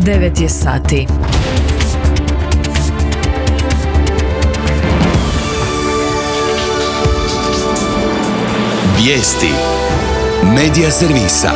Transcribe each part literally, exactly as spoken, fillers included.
devet je sati. Vijesti Medija servisa.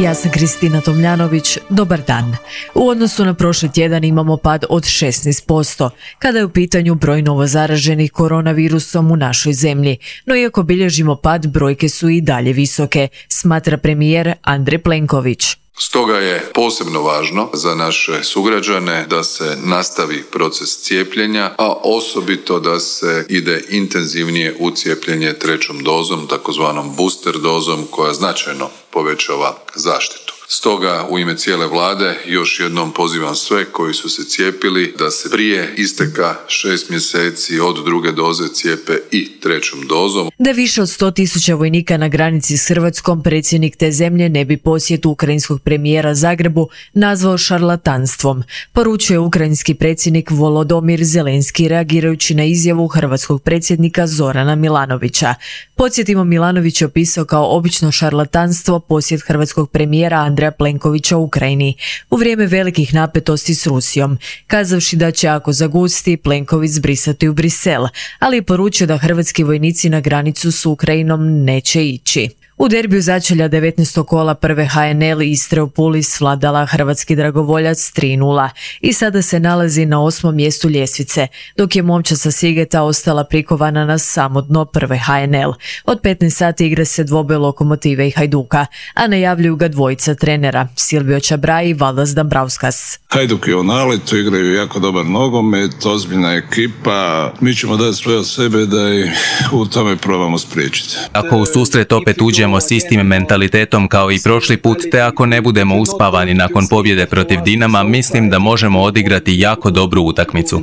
Ja sam Kristina Tomljanović, dobar dan. U odnosu na prošli tjedan imamo pad od šesnaest posto, kada je u pitanju broj novozaraženih koronavirusom u našoj zemlji. No iako bilježimo pad, brojke su i dalje visoke, smatra premijer Andrej Plenković. Stoga je posebno važno za naše sugrađane da se nastavi proces cijepljenja, a osobito da se ide intenzivnije u cijepljenje trećom dozom, takozvanom booster dozom, koja značajno povećava zaštitu. Stoga u ime cijele vlade još jednom pozivam sve koji su se cijepili da se prije isteka šest mjeseci od druge doze cijepe i trećom dozom. Da više od sto tisuća vojnika na granici s Hrvatskom, predsjednik te zemlje ne bi posjet ukrajinskog premijera Zagrebu nazvao šarlatanstvom, poručuje ukrajinski predsjednik Volodymyr Zelenski reagirajući na izjavu hrvatskog predsjednika Zorana Milanovića. Podsjetimo, Milanović je opisao kao obično šarlatanstvo posjet hrvatskog premijera Andreja Plenkovića u Ukrajini u vrijeme velikih napetosti s Rusijom, kazavši da će ako zagusti Plenković zbrisati u Brisel, ali je poručio da hrvatski vojnici na granicu s Ukrajinom neće ići. U derbiju začelja devetnaestog kola prve ha en el Istre u Puli svladala hrvatski dragovoljac tri nula i sada se nalazi na osmom mjestu ljestvice, dok je momčad sa Sigeta ostala prikovana na samo dno prve ha en el. Od petnaest sati igra se dvoboj Lokomotive i Hajduka, a najavljuju ga dvojica trenera, Silvio Čabraj i Valdas Dambrauskas. Hajduk je u naletu, igraju jako dobar nogomet, ozbiljna ekipa. Mi ćemo dati sve od sebe da i u tome probamo spriječiti. Ako u susret opet uđemo s istim mentalitetom kao i prošli put, te ako ne budemo uspavani nakon pobjede protiv Dinama, mislim da možemo odigrati jako dobru utakmicu.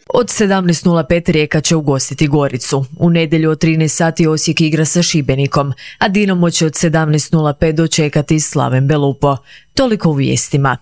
Od sedamnaest nula pet Rijeka će ugostiti Goricu. U nedjelju od trinaest sati Osijek igra sa Šibenikom, a Dinamo će od sedamnaest nula pet dočekati Slaven Belupo. Toliko u vijestima.